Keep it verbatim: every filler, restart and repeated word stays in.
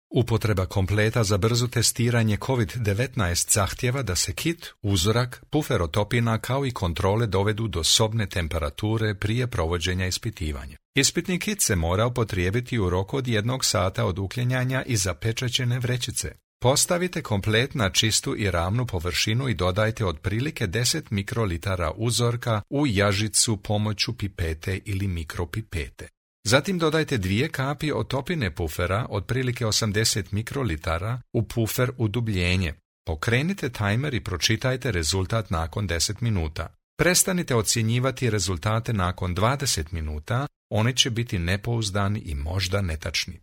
Upotreba kompleta za brzo testiranje kovid devetnaest zahtjeva da se kit, uzorak, pufer otopina kao i kontrole dovedu do sobne temperature prije provođenja ispitivanja. Ispitni kit se mora upotrijebiti u roku od jednog sata od uklanjanja i zapečaćene vrećice. Postavite komplet na čistu i ravnu površinu i dodajte otprilike deset mikrolitara uzorka u jažicu pomoću pipete ili mikropipete. Zatim dodajte dvije kapi otopine pufera, otprilike osamdeset mikrolitara, u pufer udubljenje. Pokrenite tajmer i pročitajte rezultat nakon deset minuta. Prestanite ocjenjivati rezultate nakon dvadeset minuta, oni će biti nepouzdani i možda netačni.